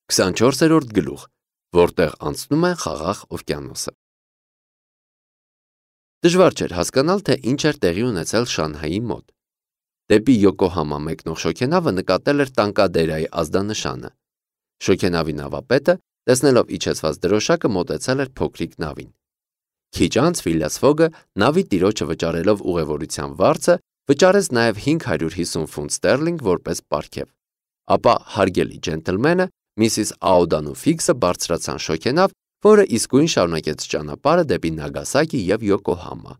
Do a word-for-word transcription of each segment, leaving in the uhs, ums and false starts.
քսանչորսերորդ գլուխ, որտեղ անցնում է խաղաղ օվկիանոսը։ Դժվար չէր հասկանալ, թե ինչ էր տեղի ունեցել Շանհայի մոտ։ Դեպի Յոկոհամա մեկնող շոգենավը նկատել էր տանկադերայի ազդանշանը։ Շոգենավի նավապետը, տեսնելով իջեցված դրոշակը, մոտեցել էր փոքրիկ նավին։ Քիչ անց Ֆիլիաս Ֆոգը, նավի տիրոջը վճարելով ուղևորության վարձը, վճարեց նաև հինգ հարյուր հիսուն ֆունտ ստերլինգ որպես պարգև։ Ապա հարգելի ջենտլմենը, Միսիս Աուդան ու Ֆիքսը բարձրացան շոգենավ, որը իսկույն շարունակեց ճանապարհը դեպի Նագասակի եւ Յոկոհամա։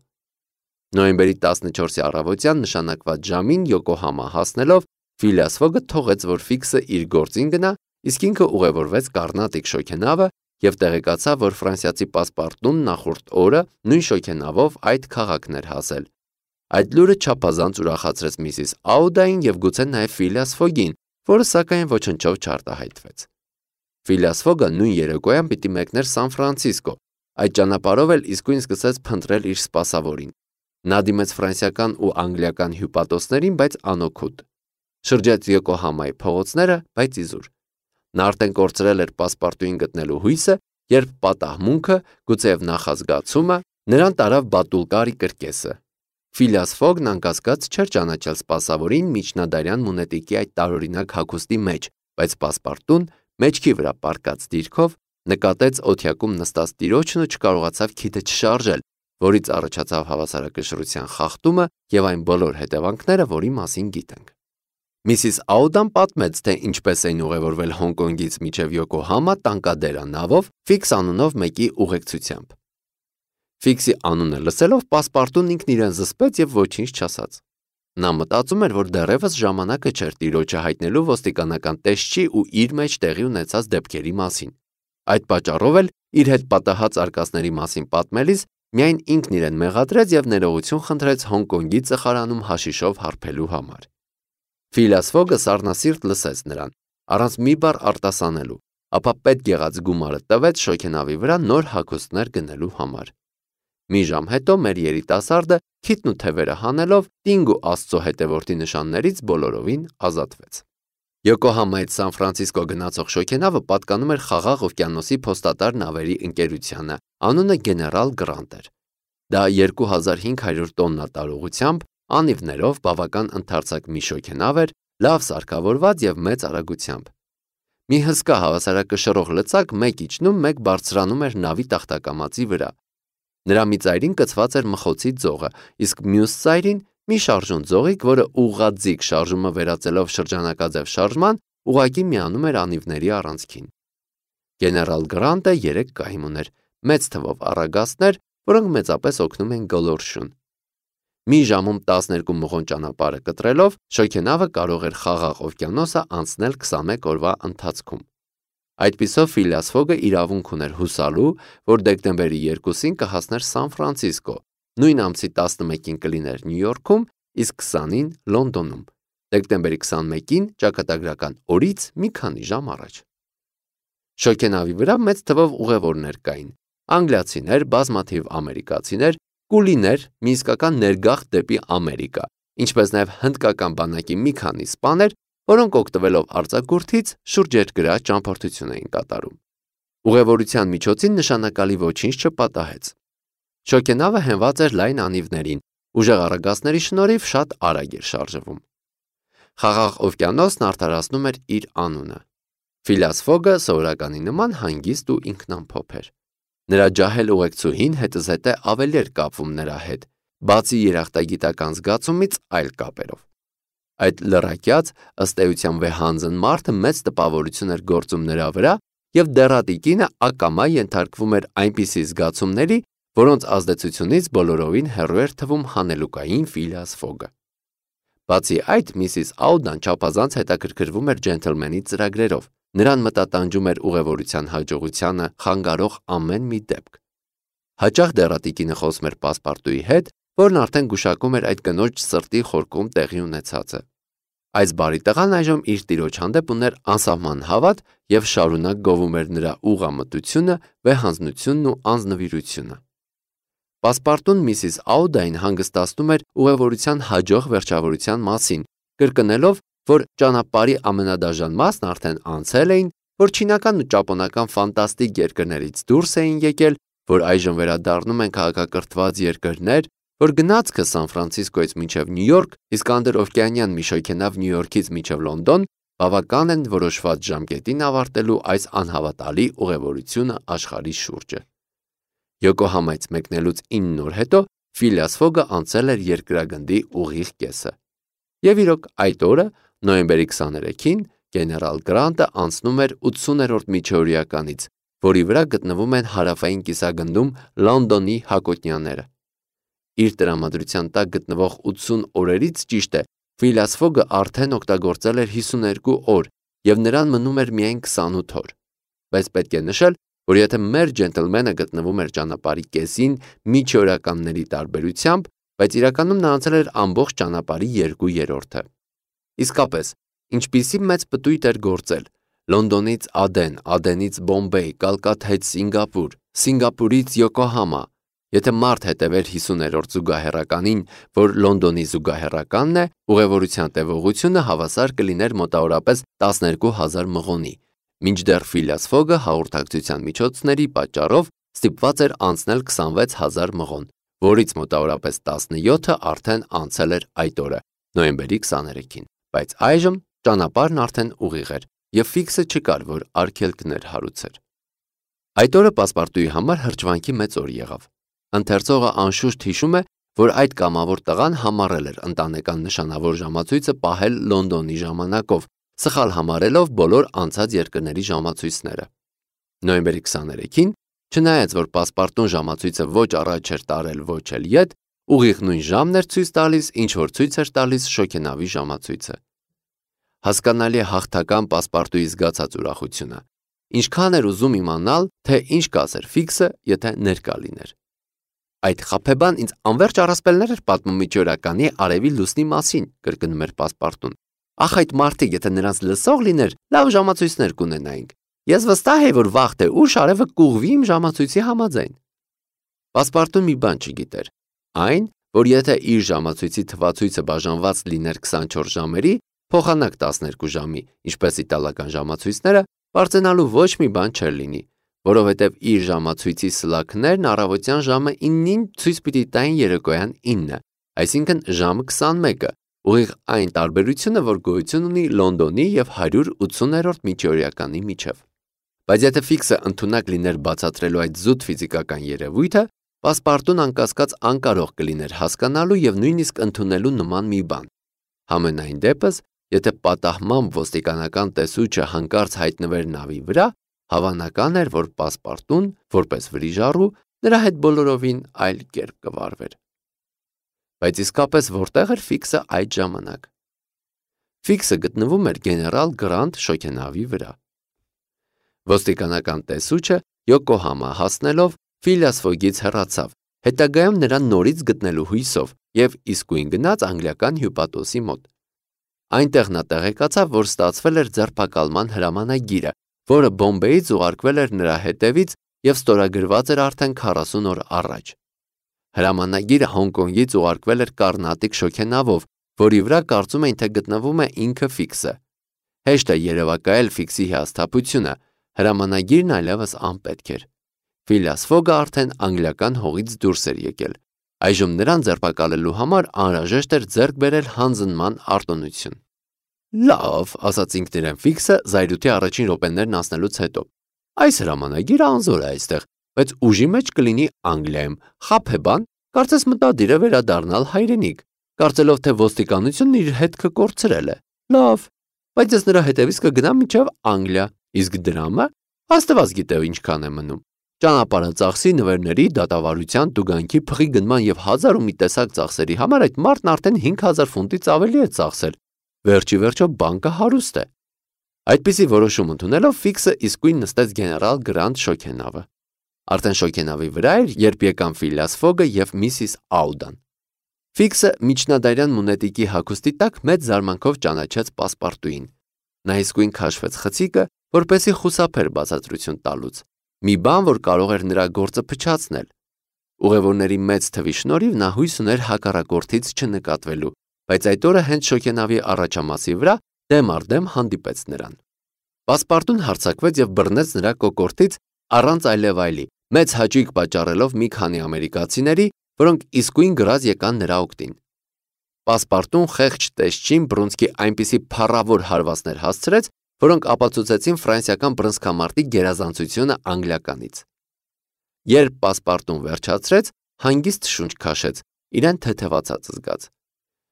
Նոյեմբերի տասնչորսի առավոտյան նշանակված ժամին Յոկոհամա հասնելով, Ֆիլիաս Ֆոգը թողեց, որ Ֆիքսը իր գործին գնա, իսկ ինքը ուղևորվեց Կարնատիկ շոգենավը եւ տեղեկացավ, որ ֆրանսիացի պասպարտուն նախորդ օրը նույն շոգենավով այդ քաղաքն էր հասել։ Այդ լուրը չափազանց ուրախացրեց Միսիս Աուդային եւ գուցե նաեւ Ֆիլիաս Ֆոգին, որը սակայն ոչնչով չարտահայտվեց։ Ֆիլիաս Ֆոգը նույն երեկոյան պիտի մեկներ Սան Ֆրանցիսկո, այդ ճանապարհով էլ իսկույն սկսեց փնտրել իր սպասավորին։ Նա դիմեց ֆրանսիական ու անգլիական հյուպատոսներին, բայց անօգուտ։ Շրջեց Յոկոհամայի փողոցները, բայց իզուր։ Նա արդեն կորցրել էր պասպարտուին գտնելու հույսը, երբ պատահմունքը, գուցեև նախազգացումը, նրան տարավ Բատուլկարի կրկեսը։ Ֆիլիաս Ֆոգն անկասկած չէր ճանաչել սպասավորին միջնադարյան մունետիկի այդ տարօրինակ հագուստի մեջ, բայց պասպարտուն, մեջքի վրա պառկած դիրքով, նկատեց օթյակում նստած տիրոջն ու չկարողացավ քիթը չշարժել, որից առաջացավ հավասարակշռության խախտումը եւ այն բոլոր հետևանքները, որի մասին գիտենք։ Միսիս Աուդան պատմեց, թե ինչպես էին ուղևորվել Հոնկոնգից մինչև Յոկոհամա տանկադերա նավով Ֆիքս անունով մեկի ուղեկցությամբ։ Ֆիքսի անունը լսելով պասպարտուն ինքն իրեն զսպեց եւ ոչինչ չասաց։ Նա մտածում էր, որ դեռևս ժամանակը չէր տիրոջը հայտնելու ոստիկանական տեսչի ու իր մեջ տեղի ունեցած դեպքերի մասին։ Այդ պատճառով էլ իր հետ պատահած արկածների մասին պատմելիս միայն ինքն իրեն մեղադրեց եւ ներողություն խնդրեց Հոնկոնգի ծխարանում հաշիշով հարբելու համար։ Ֆիլիաս Ֆոգը սառնասիրտ լսեց նրան, առանց մի բառ արտասանելու, ապա պետք եղած գումարը տվեց շոգենավի վրա նոր հագուստներ գնելու համար։ Մի ժամ հետո մեր երիտասարդը քիթն ու թևերը հանելով Տինգ ու Աստծո հետևորդի նշաններից բոլորովին ազատվեց։ Յոկոհամայից Սան Ֆրանցիսկո գնացող շոգենավը պատկանում էր Խաղաղ օվկիանոսի փոստատար նավերի ընկերությանը, անունը Գեներալ Գրանտ էր։ Դա երկու հազար հինգ հարյուր տոննա տարողությամբ, անիվներով բավական ընդարձակ մի շոգենավ էր, լավ սարքավորված եւ մեծ արագությամբ։ Մի հսկա հավասարակշռող լծակ մեկ իջնում, մեկ բարձրանում էր նավի տախտակամածի վրա։ Նրա մի ծայրին կցված էր մխոցի ձողը, իսկ մյուս ծայրին մի շարժուն ձողիկ, որը ուղղաձիգ շարժումը վերածելով շրջանակաձև շարժման, ուղղակի միանում էր անիվների առանցքին։ Գեներալ Գրանտը երեք կայմ ուներ, մեծ թվով առագաստներ, որոնք մեծապես օգնում են գոլորշուն։ Մի ժամում տասներկու մղոն ճանապարհը կտրելով, շոգենավը կարող էր Խաղաղ օվկիանոսը անցնել քսանմեկ օրվա ընթացքում։ Այդպիսով Ֆիլիաս Ֆոգը իրավունք ուներ հուսալու, որ դեկտեմբերի երկուսին կհասներ Սան Ֆրանցիսկո, նույն ամսի տասնմեկին կլիներ Նյու Յորքում, իսկ քսանին Լոնդոնում, դեկտեմբերի քսանմեկին ճակատագրական օրից մի քանի ժամ առաջ։ Շոգենավի վրա մեծ թվով ուղևորներ կային, անգլիացիներ, բազմաթիվ ամերիկացիներ, կուլիներ, մի իսկական ներգաղթ դեպի Ամերիկա, ինչպես նաև հնդկական բանակի մի քանի սպաներ, որոնք օգտվելով արձակուրդից շուրջերկրյա ճամփորդություն էին կատարում։ Ուղևորության միջոցին նշանակալի ոչինչ չպատահեց։ Շոգենավը հենված էր լայն անիվներին, ուժեղ առագաստների շնորհիվ շատ արագ էր շարժվում։ Խաղաղ օվկիանոսն արդարացնում էր իր անունը։ Ֆիլիաս Ֆոգը սովորականի նման հանգիստ ու ինքնամփոփ էր։ Նրա ջահել ուղեկցուհին հետզհետե ավելի էր կապվում նրա հետ, բացի երախտագիտական զգացումից այլ կապերով։ Այդ լռակյաց, ըստ էության վեհանձն մարդը մեծ տպավորություն էր գործում նրա վրա եւ դեռատիկինը ակամա ենթարկվում էր այնպիսի զգացումների, որոնց ազդեցությունից բոլորովին հեռու էր թվում հանելուկային Ֆիլիաս Ֆոգը։ Բացի այդ, Միսիս Աուդան չափազանց հետաքրքրվում էր ջենթլմենի ծրագրերով, նրան մտատանջում էր ուղևորության հաջողությանը խանգարող ամեն մի դեպք։ Հաճախ դեռատիկինը խոսում էր պասպարտուի հետ, որն արդեն գուշակում էր այդ կնոջ սրտի խորքում տեղի ունեցածը։ Այս բարի տղան այժմ իր տիրոջ հանդեպ ուներ անսահման հավատ եւ շարունակ գովում էր նրա ուղղամտությունը, վեհանձնությունն ու անձնվիրությունը։ Պասպարտուն Միսիս Աուդային հանգստացնում էր ուղևորության հաջող վերջավորության մասին, կրկնելով, որ ճանապարհի ամենադաժան մասն արդեն անցել էին, որ չինական ու ճապոնական ֆանտաստիկ երկրներից դուրս էին եկել, որ այժմ վերադառնում են քաղաքակրթված երկրներ, որ գնացքը Սան Ֆրանցիսկոից մինչև Նյու Յորք, իսկ անդրօվկիանյան մի շոգենավ Նյու Յորքից մինչև Լոնդոն բավական են որոշված ժամկետին ավարտելու այս անհավատալի ուղևորությունը աշխարհի շուրջը։ Յոկոհամայից մեկնելուց ինը օր հետո Ֆիլիաս Ֆոգը անցել էր երկրագնդի ուղիղ կեսը։ Եվ իրոք այդ օրը, նոյեմբերի քսաներեքին, գեներալ Գրանտը անցնում էր ութսուներորդ միջօրյականից, որի վրա գտնվում են հարավային կիսագնդում Լոնդոնի հակոտնյաները։ Իր տրամադրության տակ գտնվող ութսուն օրերից ճիշտ է, Ֆիլիաս Ֆոգը արդեն օգտագործել էր հիսուներկու օր և նրան մնում էր միայն քսանութ օր։ Բայց պետք է նշել, որ եթե մեր ջենտլմենը գտնվում էր ճանապարհի կեսին միջօրյականների տարբերությամբ, բայց իրականում նա անցել էր ամբողջ ճանապարհի երկու երրորդը։ Իսկապես, ինչպիսի մեծ պտույտ էր գործել Լոնդոնից Ադեն, Ադենից Բոմբեյ, Կալկաթայից Սինգապուր, Սինգապուրից Յոկոհամա։ Եթե մարդ հետևեր հիսուներորդ զուգահեռականին, որ Լոնդոնի զուգահեռականն է, ուղևորության տևողությունը հավասար կլիներ մոտավորապես տասներկու հազար մղոնի, մինչդեռ Ֆիլիաս Ֆոգը հաղորդակցության միջոցների պատճառով ստիպված էր անցնել քսանվեց հազար մղոն, որից մոտավորապես տասնյոթը արդեն անցել էր այդ օրը, նոյեմբերի քսաներեքին, բայց այժմ ճանապարհն արդեն ուղիղ էր և ֆիքսը չկար, որ արգելքներ հարուցեր։ Այդ օրը պասպարտուի համար հրճվանքի մեծ օր եղավ։ Ընթերցողը անշուշտ հիշում է, որ այդ կամավոր տղան համառել էր ընտանեկան նշանավոր ժամացույցը պահել Լոնդոնի ժամանակով, սխալ համարելով բոլոր անցած երկրների ժամացույցները։ Նոյեմբերի քսաներեքին, չնայած որ պասպարտուն ժամացույցը ոչ առաջ էր տարել, ոչ էլ ետ, ուղիղ նույն ժամն էր ցույց տալիս, ինչ որ ցույց էր տալիս շոգենավի ժամացույցը։ Հասկանալի է հաղթական պասպարտուի զգացած ուրախությունը։ Ինչքան էր ուզում իմանալ, թե ինչ կասեր ֆիքսը, եթե ներկա լիներ։ Այդ խաբեբան ինձ անվերջ առասպելներ էր պատմում միջօրյականի արևի լուսնի մասին, կրկնում էր պասպարտուն։ Ախ, այդ մարդիկ, եթե նրանց լսող լիներ, լավ ժամացույցներ կունենայինք։ Ես վստահ եմ, որ վաղ թե ուշ արևը կուղվի իմ ժամացույցի համաձայն։ Պասպարտուն մի բան չգիտեր։ Այն, որ եթե իր ժամացույցի թվացույցը բաժանված լիներ քսանչորս ժամերի, փոխանակ տասներկու ժամի, ինչպես իտալական ժամացույցները, բարձրանալու ոչ մի բան չէր լինի, որովհետև իր ժամացույցի սլաքներն առավոտյան ժամը իննին ցույց պիտի տային երեկոյան ինը, այսինքն ժամը քսանմեկը, ուղիղ այն տարբերությունը, որ գոյություն ունի Լոնդոնի և հարյուր ութսուներորդ միջօրյականի միջև։ Բայց եթե ֆիքսը ընդունակ լիներ բացատրելու այդ զուտ ֆիզիկական երևույթը, պասպարտուն անկասկած անկարող կլիներ հասկանալու և նույնիսկ ընդունելու նման մի բան։ Համենայն դեպս, եթե պատահմամբ ոստիկանական տեսուչը հանկարծ հայտնվեր նավի վրա, հավանական էր, որ պասպարտուն, որպես վրիժառու, նրա հետ բոլորովին այլ կերպ կվարվեր։ Բայց իսկապես որտեղ էր ֆիքսը այդ ժամանակ։ Ֆիքսը գտնվում էր գեներալ Գրանտ շոգենավի վրա։ Ոստիկանական տեսուչը Յոկոհամա հասնելով Ֆիլիաս Ֆոգից հեռացավ, հետագայում նրան նորից գտնելու հույսով և իսկույն գնաց անգլիական հյուպատոսի մոտ։ Այնտեղ նա տեղեկացավ, որ ստացվել էր ձերբակալման հրամանագիրը, որը Բոմբեյից ուղարկվել էր նրա հետևից և ստորագրված էր արդեն քառասուն օր առաջ։ Հրամանագիրը Հոնկոնգից ուղարկվել էր կառնատիկ շոգենավով, որի վրա կարծում էին, թե գտնվում է ինքը ֆիքսը։ Հեշտ է երևակայել ֆիքսի հիասթափությունը, հրամանագիրն այլևս անպետք էր։ Ֆիլիաս Ֆոգը արդեն անգլիական հողից դուրս էր եկել։ Այժմ նրան ձերբակալելու համար անհրաժեշտ էր ձեռք բերել հանձնման արտոնություն։ Լավ, ասաց ինքն իրեն ֆիքսը զայրույթի առաջին րոպեներն անցնելուց հետո։ Այս հրամանագիրը անզոր է այստեղ, բայց ուժի մեջ կլինի Անգլիայում, խաբեբան, կարծես մտադիր է վերադառնալ հայրենիք, կարծելով թե ոստիկանությունն իր հետքը կորցրել է։ Լավ, բայց ես նրա հետևից կգնամ մինչև Անգլիա, իսկ դրամը Աստված գիտե ինչքան է մնում։ Ճանապարհը ծախսի, նվերների, դատավարության, տուգանքի, փղի գնման և հազար ու մի տեսակ ծախսերի համար այդ մարդն արդեն հինգ հազար ֆունտից ավելի է ծախսել։ Վերջի վերջո բանկը հարուստ է։ Այդպիսի որոշում ընդունելով ֆիքսը իսկույն նստեց գեներալ Գրանտ շոգենավը։ Արդեն շոգենավի վրա էր, երբ եկան Ֆիլիաս Ֆոգը և միսիս Աուդան։ Ֆիքսը միջնադարյան մունետիկի հագուստի տակ մեծ զարմանքով ճանաչեց պասպարտուին։ Նա իսկույն քաշվեց խցիկը, որպեսզի խուսափեր բացատրություն տալուց։ Մի բան, որ կարող էր նրա գործը փչացնել։ Ուղևորների մեծ թվի շնորհիվ նա հույս ուներ հակառակորդից չնկատվելու, բայց այդ օրը հենց շոգենավի առաջամասի վրա դեմ առ դեմ հանդիպեց նրան։ Պասպարտուն հարձակվեց և բռնեց նրա կոկորդից առանց այլևայլի, մեծ հաճույք պատճառելով մի քանի ամերիկացիների, որոնք իսկույն գրազ եկան նրա օգտին։ Պասպարտուն խեղճ տեսչին բռունցքի այնպիսի փառավոր հարվածներ հասցրեց, որոնք ապացուցեցին ֆրանսիական բռնցքամարտի գերազանցությունը անգլիականից։ Երբ Պասպարտուն վերջացրեց, հանգիստ շունչ քաշեց, իրեն թեթևացած զգաց։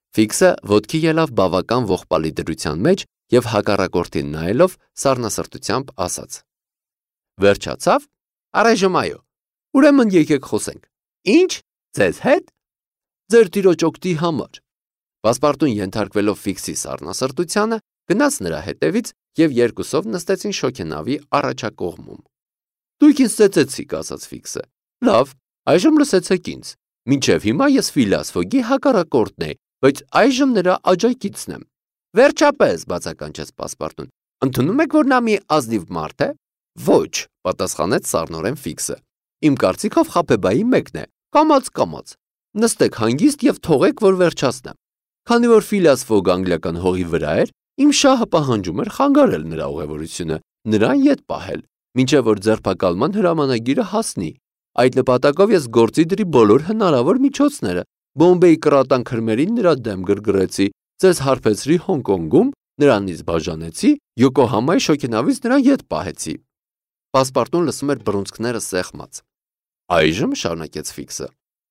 Ֆիքսը ոտքի ելավ բավական ողբալի դրության մեջ և հակառակորդին նայելով սառնասրտությամբ ասաց. Վերջացավ, առայժմ այո, ուրեմն եկեք խոսենք։ Ինչ, ձեզ հետ։ Ձեր տիրոջ օգտի համար։ Պասպարտուն ենթարկվելով Ֆիքսի սառնասրտությանը, գնաց նրա հետևից և երկուսով նստեցին շոգենավի առաջակողմում։ Դուք ինձ ծեծեցիք, ասաց Ֆիքսը։ Լավ, այժմ լսեցեք ինձ։ Մինչև հիմա ես Ֆիլիաս Ֆոգի հակառակորդն էի, բայց այժմ նրա աջակիցն եմ։ Վերջապես, բացականչեց Պասպարտուն, ընդունում եք, որ նա մի ազնիվ մարդ է։ Ոչ, պատասխանեց սառնորեն Ֆիքսը։ Իմ կարծիքով Խաբեբայի մեկն է, կամաց-կամաց։ Նստեք հանգիստ և թողեք, որ վերջացնեմ։ Քանի որ Ֆիլիաս Ֆոգը անգլիական հողի վրա էր, իմ շահը պահանջում էր խանգարել նրա ուղևորությունը, նրան ետ պահել, մինչև որ ձերբակալման հրամանագիրը հասնի։ Այդ նպատակով ես գործի դրի բոլոր հնարավոր միջոցները, Բոմբեի կրատան քրմերին նրա դեմ գրգռեցի, ձեզ հարբեցրի Հոնկոնգում, նրանից բաժանեցի, Յոկոհամայի շոգենավից նրան ետ պահեցի։ Պասպարտուն լսում էր բռունցքները սեղմած։ Այժմ, շարունակեց Ֆիքսը,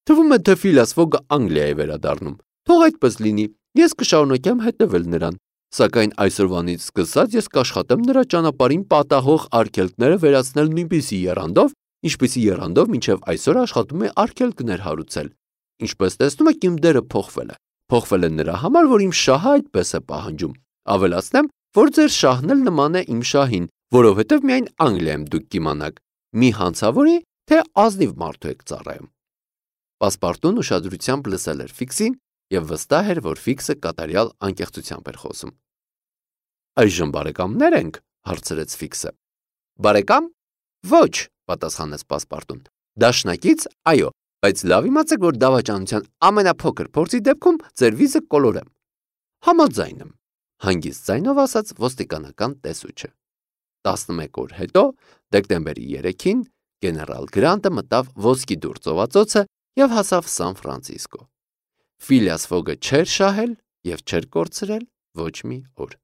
թվում է, թե Ֆիլիաս Ֆոգը Անգլիա է վերադառնում։ Թող այդպես լինի, ես կշարունակեմ հետևել նրան, սակայն այսօրվանից սկսած ես կաշխատեմ նրա ճանապարհին պատահող արգելքները վերացնել նույնպիսի եռանդով, ինչպիսի եռանդով մինչև այսօր աշխատում է արգելքներ հարուցել։ Ինչպես տեսնում եք, իմ դերը փոխվել է։ Փոխվել է նրա համար, որ իմ շահը այդպես է պահանջում։ Ավելացնեմ, որ ձեր շահն էլ նման է իմ շահին, որովհետև միայն Անգլիայում դուք կիմանաք, մի հանցավորի, թե ազնիվ մարդու եք ծառայում։ Պասպարտուն ուշադրությամբ լսել էր Ֆիքսին և վստահ էր, որ Ֆիքսը կատարյալ անկեղծությամբ էր խոսում։ Այժմ բարեկամներ ենք, հարցրեց Ֆիքսը։ Բարեկամ։ Ոչ, պատասխանեց Պասպարտուն։ Դաշնակից, այո, բայց լավ իմացեք, որ դավաճանության ամենափոքր փորձի դեպքում ձեր վիզը կոլորեմ։ Համաձայն եմ, հանգիստ ձայնով ասաց ոստիկանական տեսուչը։ տասնմեկ օր հետո, դեկտեմբերի երեքին, գեներալ Գրանտը մտավ ոսկի դուռ ծովածոցը և հասավ Սան Ֆրանցիսկո։ Ֆիլիաս Ֆոգը չէր շահել և չէր կորցրել ոչ մի օր։